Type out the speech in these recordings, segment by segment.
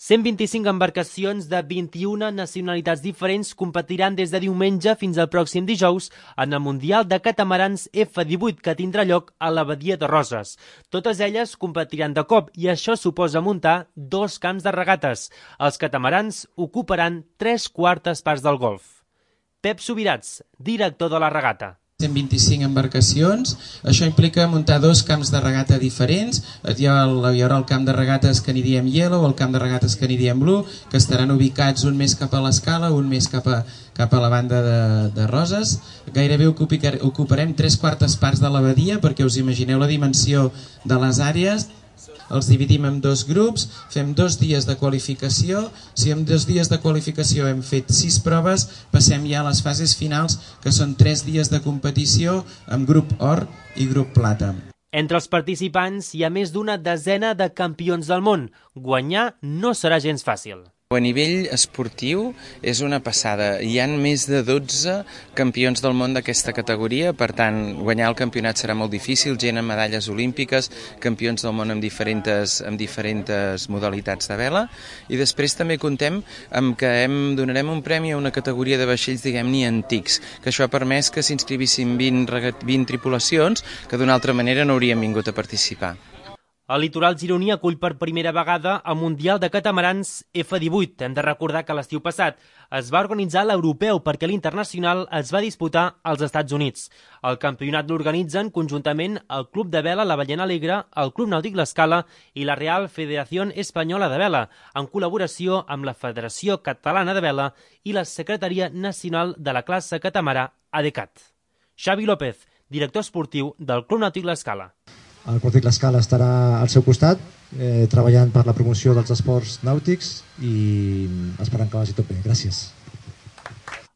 125 embarcacions de 21 nacionalitats diferents competiran des de diumenge fins al pròxim dijous en el Mundial de Catamarans F18 que tindrà lloc a la Badia de Roses. Totes elles competiran de cop i això suposa muntar 2 camps de regates. Els catamarans ocuparan 3/4 parts del golf. Pep Subirats, director de la regata. 125 embarcacions, això implica muntar 2 camps de regata diferents. Hi haurà el camp de regates que n'hi diem Yellow, el camp de regates que n'hi diem Blue, que estaran ubicats un més cap a l'Escala, un més cap a la banda de Roses. Gairebé ocuparem 3/4 parts de la badia, perquè us imagineu la dimensió de les àrees. Els dividim en 2 grups, fem 2 dies de qualificació. Si en 2 dies de qualificació hem fet 6 proves, passem ja a les fases finals, que són 3 dies de competició amb grup or i grup plata. Entre els participants hi ha més d'una desena de campions del món. Guanyar no serà gens fàcil. A nivell esportiu és una passada. Hi ha més de 12 campions del món d'aquesta categoria, per tant, guanyar el campionat serà molt difícil, gent amb medalles olímpiques, campions del món amb diferents modalitats de vela, i després també contem amb que donarem un premi a una categoria de vaixells, diguem-ne, antics, que això ha permès que s'inscrivissin 20 tripulacions que d'una altra manera no haurien vingut a participar. El litoral gironí acull per primera vegada el Mundial de Catamarans F18. Hem de recordar que l'estiu passat es va organitzar l'europeu perquè l'internacional es va disputar als Estats Units. El campionat l'organitzen conjuntament el Club de Vela La Ballena Alegre, el Club Nàutic L'Escala i la Real Federación Española de Vela, en col·laboració amb la Federació Catalana de Vela i la Secretaria Nacional de la Classe Catamarà ADECAT. Xavi López, director esportiu del Club Nàutic L'Escala. El Club Nàutic L'Escala estarà al seu costat, treballant per la promoció dels esports nàutics i esperant que vagi tot bé. Gràcies.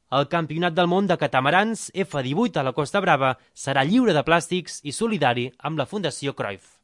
El Campionat del Món de Catamarans F18 a la Costa Brava serà lliure de plàstics i solidari amb la Fundació Cruyff.